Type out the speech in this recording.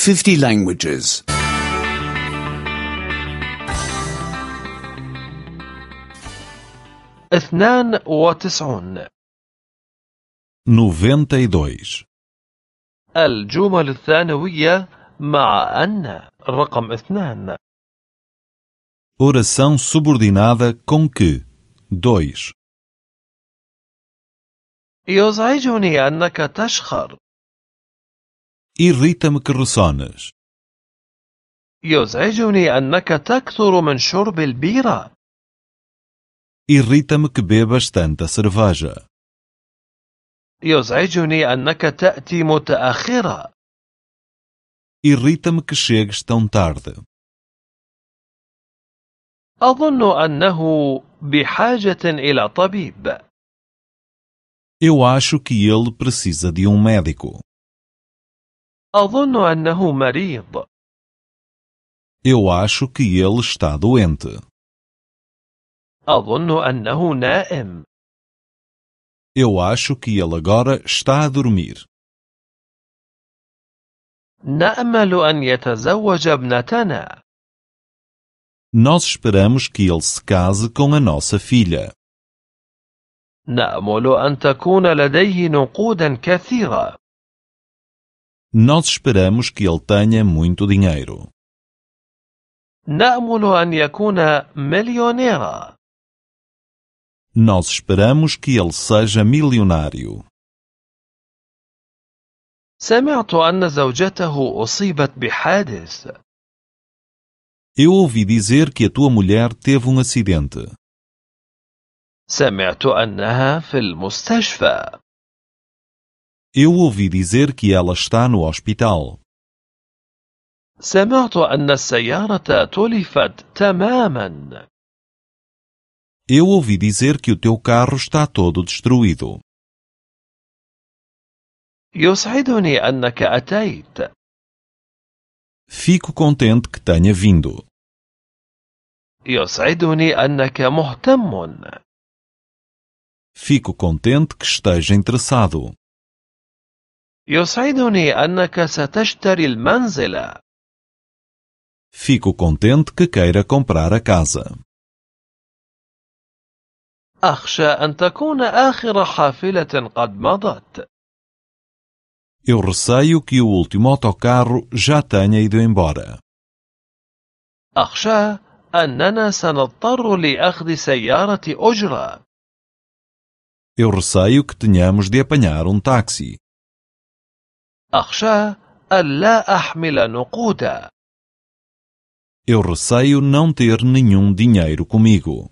50 languages. 92. 92. الجمل الثانوية مع أن رقم 2. Oração subordinada com que. 2. يزعجني أنك تشخر. Irrita-me que ressones. يزعجني أنك تكثر من شرب البيرة. Irrita-me que bebas tanta cerveja. يزعجني أنك تأتي متأخرا. Irrita-me que chegues tão tarde. أظن أنه بحاجة إلى طبيب. Eu acho que ele precisa de um médico. أظن أنه مريض. Eu acho que ele está doente. أظن أنه نائم. Eu acho que ele agora está a dormir. نأمل أن يتزوج ابنتنا. Nós esperamos que ele se case com a nossa filha. نأمل أن تكون لديه نقودا كثيرة. Nós esperamos que ele tenha muito dinheiro. نأمل أن يكون مليونيرا. Nós esperamos que ele seja milionário. سمعت أن زوجته أصيبت بحادث. Eu ouvi dizer que a tua mulher teve um acidente. سمعت أنها في المستشفى. Eu ouvi dizer que ela está no hospital. سمعت أن السيارة تلفت تماما. Eu ouvi dizer que o teu carro está todo destruído. يسعدني أنك أتيت. Fico contente que tenha vindo. يسعدني أنك مهتم. Fico contente que esteja interessado. يسعدني أنك ستشتري المنزل. Fico contente que queira comprar a casa. أخشى أن تكون آخر حافلة قد مضت. Eu receio que o último autocarro já tenha ido embora. أخشى أننا سنضطر لأخذ سيارة أجرة. Eu receio que tenhamos de apanhar um táxi. أخشى أن لا أحمل نقودا. Eu receio não ter nenhum dinheiro comigo.